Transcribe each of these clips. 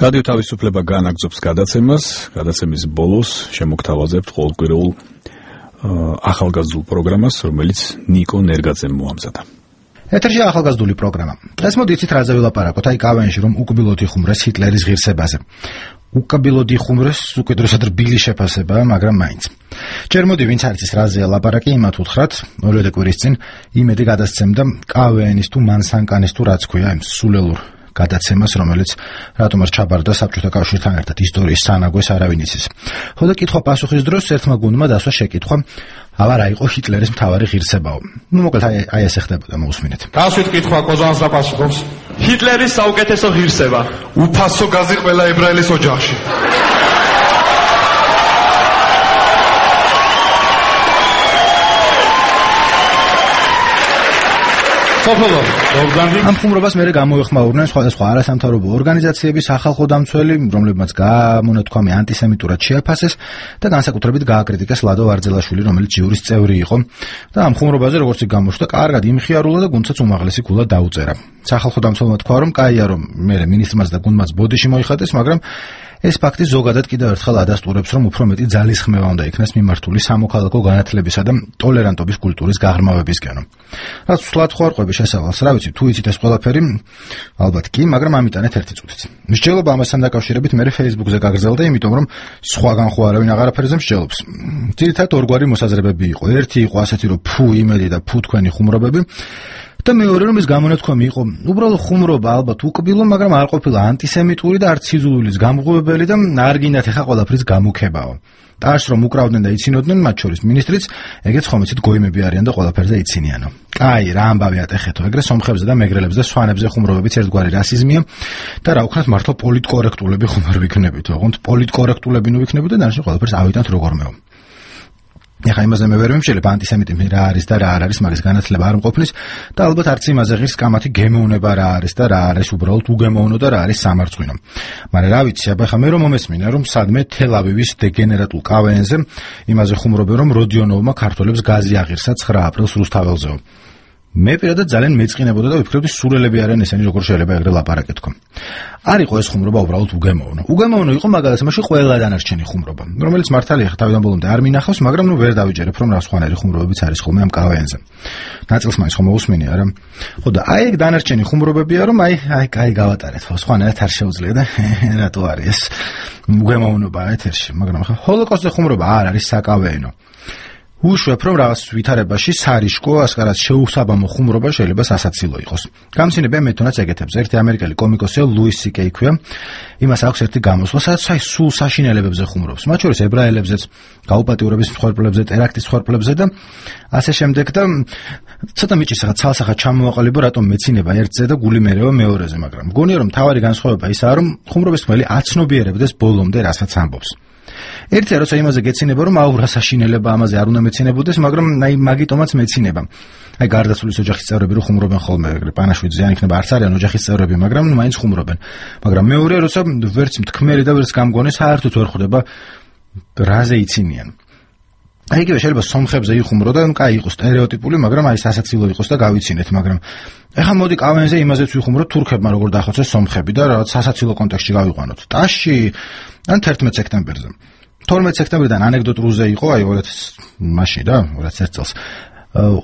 რადიო თავისუფლება განაგრძობს გადაცემის ბოლოს შემოგთავაზებთ ყოველკვირეულ ახალგაზრდულ პროგრამას, რომელიც ნიკო ნერგაძემ მოამზადა. ეთერში ახალგაზრდული პროგრამა. დღეს მოდით რაზე ვილაპარაკოთ, აი კავენში რომ უკბილოდ იხუმრეს ჰიტლერის ღირსებაზე. უკაბილოდ იხუმრეს უკიდურესად რბილი შეფასება, მაგრამ მაინც. ჯერ მოდი ვინც არის ის რაზეა ლაპარაკი, იმათ უთხრათ, ორივე კვირის წინ იმედი გადასცემდა კავენის თუ მანსანკანის თუ რაც ქვია იმ სულელურ გადაცემას, რომელიც რატომაც ჩაბარდა საბჭოთა კავშირთან ერთად ისტორიის სანაგვეს არავინ იცის. ხოდა კითხვა-პასუხის დროს ერთმა გუნდმა დასვა შეკითხვა, აბა რა იყო ჰიტლერის მთავარი ღირსებაო. მოკლედ აი ესე ხდებოდა, მოусმინეთ. დასვით კითხვა კოზანს და პასუხობს. ჰიტლერის საუკეთესო ღირსება, უფასო გაზი ყველა ებრაელის ოჯახში. ამ ხუმრობას მერე გამოეხმაურნენ სხვადასხვა არასამთავრობო ორგანიზაციების სახალხო დამცველი, რომლებმაც გამონათქვამი ანტისემიტურად შეაფასეს და განსაკუთრებით გააკრიტიკეს ლადო ვარძელაშვილი, რომელიც ჯიურის წევრი იყო და ამ ხუმრობაზე როგორც იქ გამოჩნდა, კარგად იმხიარულა და გუნდსაც უმაღლესი გულა დაუწერა. სახალხო დამცველმა თქვა, რომ კაია რომ მერე მინისტრმაც და გუნდმაც ბოდიში მოიხადეს, მაგრამ ეს ფაქტი ზოგადად კიდევ ერთხელ ადასტურებს, რომ უფრო მეტი ძალისხმევა უნდა იქნას მიმართული სამოქალაქო განათლებისა და ტოლერანტობის კულტურის გაღრმავებისკენო. რაც სულად ხوارყვები შესავალს, რა ვიცი, თუ იცით ეს ყველაფერი, ალბათ კი, მაგრამ ამიტანეთ ერთი წუთიც. მსჯელობა ამასთან დაკავშირებით მე Facebook-ზე გაგრძელდა, იმიტომ რომ სხვაგან ხო არავინ აღარაფერზე მსჯელობს. ძირითადად ორგვარი მოსაზრებები იყო. ერთი იყო ასეთი, რომ ფუ იმედი და ფუ თქვენი ხუმრობები. და მეორე რომ ეს გამონათქვამი იყო უბრალოდ ხუმრობა, ალბათ უკბილო, მაგრამ არ ყოფილა ანტისემიტური და არც სიძულვილის გამღვევებელი და არ გინდათ ეხა ყველაფრის გამუქებაო. ტარს რომ უკრავდნენ და იცინოდნენ, მათ შორის მინისტრიც, ეგეც ხომ იცით გოიმები არიან და ყველაფერზე იცინიანო. კაი, რა ამბავი ატეხეთო, ეგრე სომხებზე და მეგრელებზე და სვანებზე ხუმრობებიც ერთგვარი რასიზმია და რა უქნათ მართლა პოლიტკორექტულები ხომ არ ვიქნებით, ოღონდ პოლიტკორექტულები ნუ ვიქნებით და დანარჩენ ყველაფერს ავიტანთ როგორმეო. ეხა იმაზე მე ვერ ვიმშელებ ანტისემიტიზმი რა არის და რა არ არის, მაგის განათლება არ მყოფნის და ალბათ არც იმაზე ღირს კამათი გემოვნება რა არის და რა არის უბრალოდ უგემოვნო და რა არის სამარცხვინო. მაგრამ რა ვიცი, აბა ხა მე რომ მომესმინა რომ სადმე თელ-ავივის დეგენერატულ კავენზე იმაზე ხუმრობენ რომ როდიონოვმა ქართველებს გაზი აღირსა 9 აპრილს რუსთაველზეო. მე პირადად ძალიან მეწყინებოდა და ვფიქრობდი სულელები არიან ესენი, როგორ შეიძლება ეგრე ლაპარაკეთ თქო. არ იყო ეს ხუმრობა უბრალოდ უგემოვნო. უგემოვნო იყო მაგალითად მაშინ ყველა დანარჩენი ხუმრობა, რომელიც მართალია თავიდან ბოლომდე არ მინახავს, მაგრამ ნუ ვერ დავიჯერებ რომ რა სხვანაირი ხუმრობებიც არის ხოლმე ამ კავენზე. ნაწილს მაინც ხომ მოусმინე არა? ხო და აი ეგ დანარჩენი ხუმრობებია რომ აი გავატარეთ, ხო სხვანაირად არ შეუძლია და რატო არის ეს უგემოვნობა ეთერში, მაგრამ ხა ჰოლოკოსტზე ხუმრობა არ არის საკავენო. უშვებ რომ რაღაც ვითარებაში სარიშკო, ასკარად შეუსაბამო ხუმრობა შეიძლება სასაცილო იყოს. გამცინებია მეთონაც ეგეთებს. ერთი ამერიკელი კომიკოსია ლუის სიკეი ქვია. იმას აქვს ერთი გამოსვლა, სადაც აი სულ საშინელებებზე ხუმრობს. მათ შორის ებრაელებზეც, გაუპატიურების მსხვერპლებზე, ტერაქტის მსხვერპლებზე და ასე შემდეგ და ცოტა მიჭირს რაღაც ცალსახად ჩამოვაყალიბო, რატომ მეცინება ერთზე და გული მერევა მეორეზე, მაგრამ მგონია რომ თავარი განსხვავება ისაა, რომ ხუმრობის თმელი აცნობიერებდეს ბოლომდე რასაც ამბობს. ერთია როცა იმაზე გეცინება რომ აუ რა საშინელება ამაზე არ უნდა მეცინებოდეს, მაგრამ აი მაგიტომაც მეცინება. აი გარდაცვლის ოჯახის წევრები რო ხუმრობენ ხოლმე, ეგრე პანაშვიდ ზიანი იქნება, არც არიან ოჯახის წევრები, მაგრამ მაინც ხუმრობენ. მაგრამ მეორეა როცა ვერც მთქმელი და ვერც გამგონი საერთოდ ვერ ხვდება რაზე იცინიან. აი იგივე შეიძლება სომხებზე იხუმრო და კაი იყოს სტერეოტიპული, მაგრამ აი სასაცილო იყოს და გავიცინეთ, მაგრამ ეხლა მოდი კავენზე იმაზეც ვიხუმროთ თურქებმა როგორ დახოცეს სომხები და რაღაც სასაცილო კონტექსტში გავიყვანოთ. ტაშში ან 11 სექტემბერზე. 12 სექტემბრიდან ანეკდოტურზე იყო, აი 2001 წელს.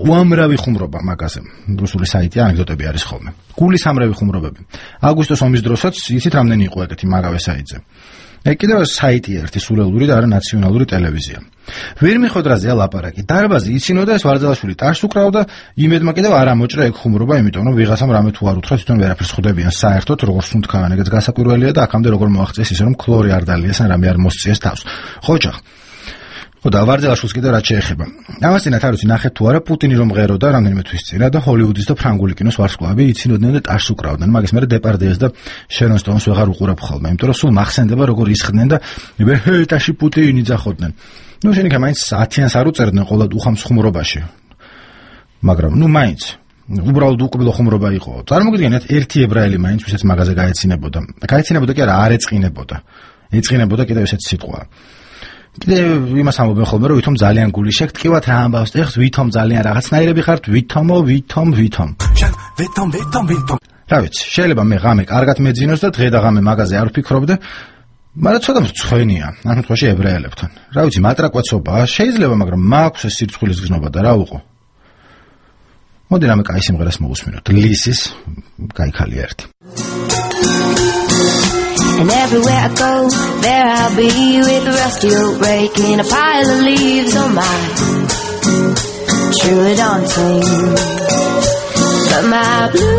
უამრავი ხუმრობა მაგაზე. რუსული საიტი ანეკდოტები არის ხოლმე. გულის ამრავი ხუმრობები. აგვისტოს ომის დროსაც იცით რამდენი იყო ეგეთი მაგავე საიტზე. ეგ კიდევ საიტი ერთი სულელური და არა ნაციონალური ტელევიზია. ვერ მიხოთ რაზეა ლაპარაკი. დარბაზი იცინოდა ეს ვარძელაშვილი ტარს უკრავდა, იმედმა კიდევ არ ამოჭრა ეგ ხუმრობა, იმიტომ რომ ვიღაცამ რამე თუ არ უთხრა, თვითონ ვერაფერს ხვდებიან საერთოდ, როგორ სუნთქავენ, ეგეც გასაკვირველია და აქამდე როგორ მოაღწიეს ისე რომ ქლორი არ დალიეს ან რამე არ მოსწიეს თავს. ხოჭახ. ხო და ვარძელაშვილს კიდევ რაც შეეხება. ამასთანავე არ ვიცი ნახეთ თუ არა პუტინი რომ მღეროდა რამდენიმე თვის წინ და ჰოლივუდის და ფრანგული კინოს ვარსკვლავები იცინოდნენ და ტარს უკრავდნენ. მაგის მერე დეპარდიეს და შერონ სტოუნს ვეღარ უყურებ ხოლმე, იმიტომ რომ სულ მახსენდება როგორ ისხდნენ და ვეჰეტაში პუტინი ძახოდნენ. ნუ შენიკა მაინც 10-იანს არ უწერდნენ ყოლა უხამს ხუმრობაში. მაგრამ ნუ მაინც უბრალოდ უკბილო ხუმრობა იყო. წარმოგიდგენთ ერთი ებრაელი მაინც ვისაც მაგაზე გაეცინებოდა. გაეცინებოდა კი არა, არ ეწყინებოდა. ეწყინებოდა კიდევ ესეც სიტყვა. კიდევ იმას ამბობენ ხოლმე რომ ვითომ ძალიან გული შეგტკივათ რა ამბავს ეხს ვითომ ძალიან რაღაცნაირები ხართ ვითომ რა ვიცი, შეიძლება მე ღამე კარგად მეძინოს და დღე და ღამე მაგაზე არ ვფიქრობდე, მაგრამ ცოტა მრცხვენია, ამ შემთხვევაში ებრაელებთან. რა ვიცი, მატრაკვაცობაა, შეიძლება, მაგრამ მაქვს ეს სირცხვილის გზნობა და რა უყო. მოდი რამე კაი სიმღერას მოვუსმინოთ. ლისის კაი ხალია ერთი. And everywhere I go, there I'll be with a rusty old rake and a pile of leaves on my truly daunting. But my blue